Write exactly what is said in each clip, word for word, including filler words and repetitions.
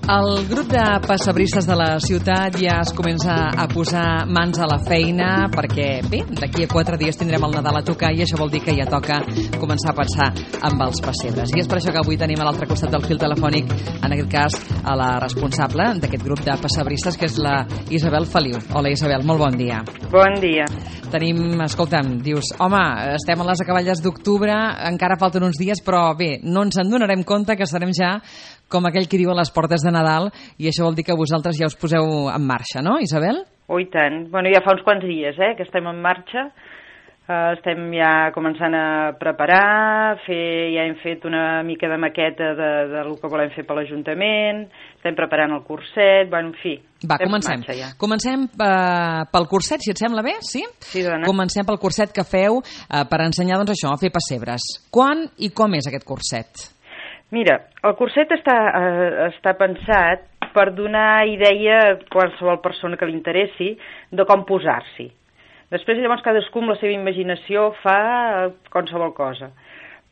El grup de pessebristes de la ciutat ja es comença a posar mans a la feina perquè, bé, d'aquí a quatre dies tindrem el Nadal a tocar i això vol dir que ja toca començar a pensar amb els pessebres. I és per això que avui tenim a l'altre costat del fil telefònic, en aquest cas, a la responsable d'aquest grup de pessebristes, que és la Isabel Feliu. Hola, Isabel, molt bon dia. Bon dia. Tenim, escolta'm, dius, home, estem a les acaballes d'octubre, encara falten uns dies, però bé, no ens en donarem compte que estarem ja com aquell que diu a les portes de Nadal, i això vol dir que vosaltres ja us poseu en marxa, no, Isabel? Oh, i tant. Bueno, ja fa uns quants dies, eh, que estem en marxa. Uh, estem ja començant a preparar, fer, ja hem fet una mica de maqueta de, de lo que volem fer per l'Ajuntament, estem preparant el curset, bueno, en fi. Va, comencem. Ja. Comencem uh, pel curset, si et sembla bé, sí? Sí, dona. Comencem pel curset que feu uh, per ensenyar, doncs això, a fer pessebres. Quan i com és aquest curset? Mira, el curset està, eh, està pensat per donar idea a qualsevol persona que li interessi de com posar-s'hi. Després, llavors, cadascú amb la seva imaginació fa qualsevol cosa.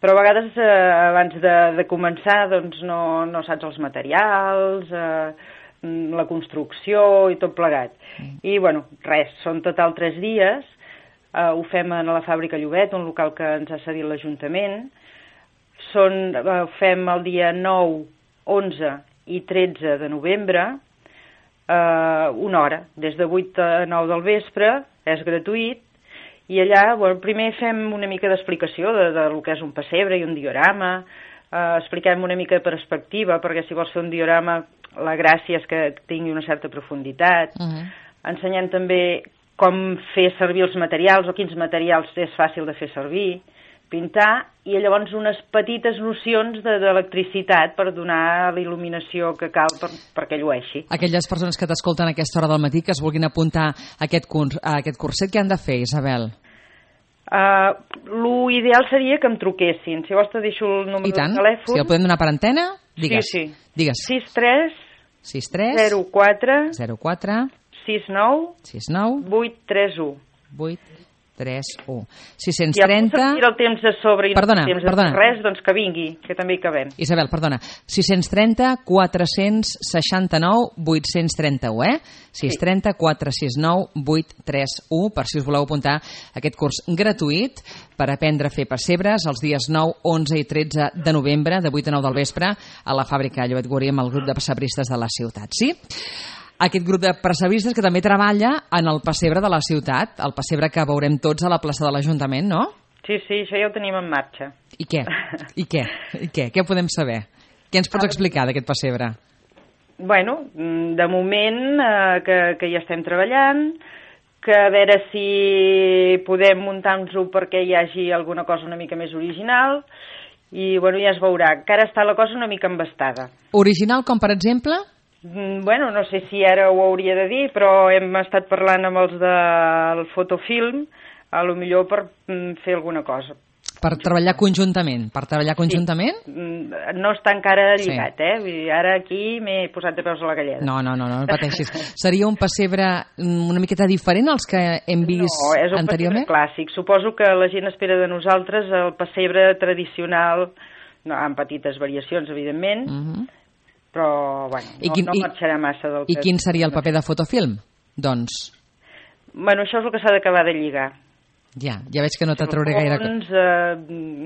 Però a vegades, eh, abans de, de començar, doncs no, no saps els materials, eh, la construcció i tot plegat. I, bueno, res, són total tres dies. Eh, ho fem a la Fàbrica Llobet, un local que ens ha cedit l'Ajuntament. Són, eh, fem el dia nou, onze i tretze de novembre, eh, una hora, des de vuit a nou del vespre, és gratuït, i allà, bueno, primer fem una mica d'explicació de, de lo que és un pessebre i un diorama, eh, expliquem una mica de perspectiva, perquè si vols fer un diorama, la gràcia és que tingui una certa profunditat. Uh-huh. Ensenyem també com fer servir els materials, o quins materials és fàcil de fer servir, pintar, i llavors unes petites nocions d'electricitat per donar la il·luminació que cal per, perquè llueixi. Aquelles persones que t'escolten a aquesta hora del matí que es vulguin apuntar a aquest, curs, a aquest curset, què han de fer, Isabel? Uh, lo ideal seria que em truquessin. Si vols te deixo el número de telèfon. Si el podem donar per antena, digues. Sí, sí. Digues. sis tres sis tres zero quatre zero quatre sis nou sis nou vuit tres u vuit tres u. sis-cents trenta... I el temps de sobre i perdona, no temps perdona. de res, doncs que vingui, que també hi cabem. Isabel, perdona, sis-cents trenta quatre-cents seixanta-nou vuit-cents trenta-u, eh? sis trenta quatre sis nou vuit tres u, per si us voleu apuntar a aquest curs gratuït per aprendre a fer pessebres els dies nou, onze i tretze de novembre, de vuit a nou del vespre, a la fàbrica Llobet Guri amb el grup de pessebristes de la ciutat, sí? Aquest grup de pessebristes que també treballa en el pessebre de la ciutat, el pessebre que veurem tots a la plaça de l'Ajuntament, no? Sí, sí, això ja ho tenim en marxa. I què? I què? I què? Què podem saber? Què ens pots explicar d'aquest pessebre? Bueno, de moment eh, que, que hi estem treballant, que a veure si podem muntar-nos-ho perquè hi hagi alguna cosa una mica més original, i bueno, ja es veurà. Encara està la cosa una mica embastada. Original com, per exemple? Bueno, no sé si ara ho hauria de dir, però hem estat parlant amb els del fotofilm, a lo millor per fer alguna cosa. Per treballar conjuntament? Per treballar conjuntament? Sí. No està encara lligat, sí. eh? Vull dir, ara aquí m'he posat de peus a la galleda. No, no, no, no, no pateixis. Seria un pessebre una miqueta diferent als que hem vist anteriorment? No, és un anteriorment? pessebre clàssic. Suposo que la gent espera de nosaltres el pessebre tradicional, no, amb petites variacions, evidentment, uh-huh. però, bueno, no, quin, no marxarà massa del I, I quin seria el paper de fotofilm? Doncs... Bueno, això és el que s'ha d'acabar de lligar. Ja, ja veig que no t'atrauré gaire... Fons, eh,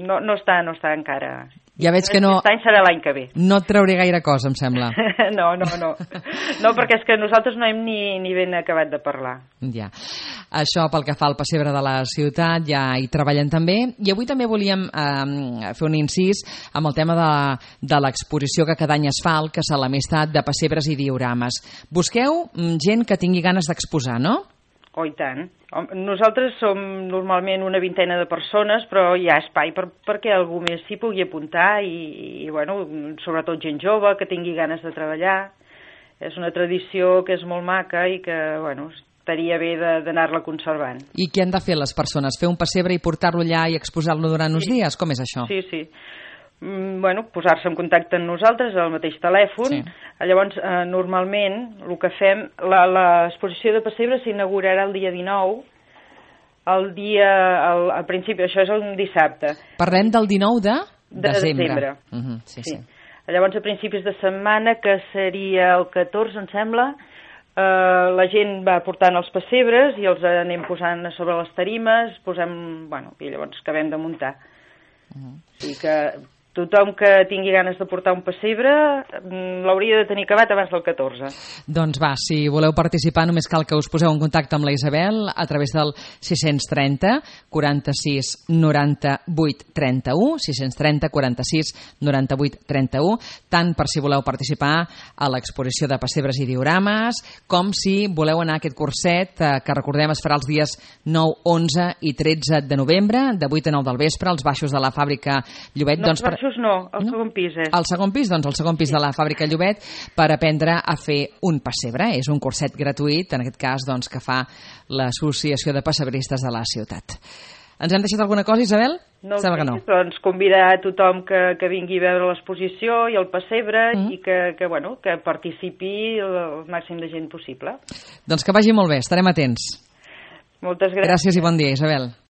no, no, està, no està encara... Ja veig que no... Aquest any serà l'any que ve. No et trauré gaire cosa, em sembla. no, no, no. No, perquè és que nosaltres no hem ni, ni ben acabat de parlar. Ja. Això pel que fa al pessebre de la ciutat, ja hi treballen també. I avui també volíem eh, fer un incís amb el tema de, de l'exposició que cada any es fa, el que és l'amistat de pessebres i diorames. Busqueu gent que tingui ganes d'exposar, no? Oh, i tant. Nosaltres som normalment una vintena de persones, però hi ha espai per, perquè algú més s'hi pugui apuntar i, i, bueno, sobretot gent jove que tingui ganes de treballar. És una tradició que és molt maca i que, bueno, estaria bé d'anar-la conservant. I què han de fer les persones? Fer un pessebre i portar-lo allà i exposar-lo durant uns sí. dies? Com és això? Sí, sí. Bueno, posar-se en contacte amb nosaltres al mateix telèfon. Sí. Llavors, eh, normalment, el que fem, l'exposició de pessebre s'inaugurarà el dia dinou, el dia, el, al principi, això és un dissabte. Parlem del dinou de de desembre. desembre. Uh-huh, sí, sí. sí. Llavors, a principis de setmana, que seria el catorze, em sembla, eh, la gent va portant els pessebres i els anem posant a sobre les tarimes, posem, bueno, i llavors acabem de muntar. Uh-huh. O sigui que tothom que tingui ganes de portar un pessebre l'hauria de tenir acabat abans del catorze. Doncs va, si voleu participar només cal que us poseu en contacte amb la Isabel a través del sis trenta, quaranta-sis, noranta-vuit, trenta-u, sis trenta, quaranta-sis, noranta-vuit, trenta-u, tant per si voleu participar a l'exposició de pessebres i diorames, com si voleu anar a aquest curset eh, que recordem es farà els dies nou, onze i tretze de novembre, de vuit a nou del vespre, als baixos de la fàbrica Llobet. No, doncs per... no, el no? segon pis és. El segon pis, doncs el segon pis sí. de la fàbrica Llobet, per aprendre a fer un pessebre. És un curset gratuït, en aquest cas, doncs, que fa l'Associació de Pessebristes de la ciutat. Ens hem deixat alguna cosa, Isabel? No, que no. Doncs convidar a tothom que, que vingui a veure l'exposició i el pessebre mm. i que, que, bueno, que participi el màxim de gent possible. Doncs que vagi molt bé, estarem atents. Moltes gràcies. Gràcies i bon dia, Isabel.